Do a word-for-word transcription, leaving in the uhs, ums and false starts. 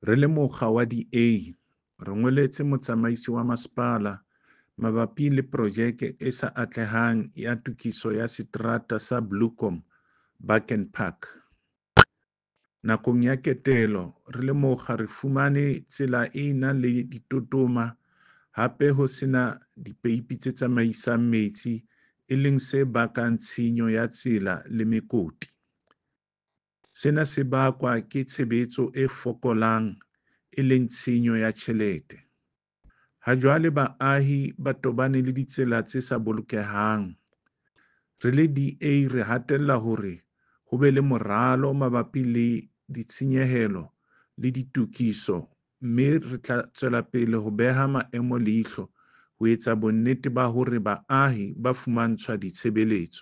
Re le mokga wa D A, re ngoletse motsamaisi wa masepala mabapi le projeke e sa atlehang ya tokiso ya seterata sa Bloekom, Baken Park. Nakong ya ketelo, re le mokga re fumane tsela e na le ditotoma hape ho sena dipeipi tse tsamaisang metsi e leng se bakang tshenyo ya tsela le mekoti. Sena se bakwa ke tshebetso e fokolang e leng tshenyo ya tjhelete. Ha jwale baahi ba tobane le ditsela tse sa bolokehang. Re le D A re hatella hore ho be le moralo mabapi le ditshenyehelo le ditokiso mme re tla tswelapele ho beha maemo leihlo ho etsa bonnete ba hore baahi ba fumantshwa ditshebeletso.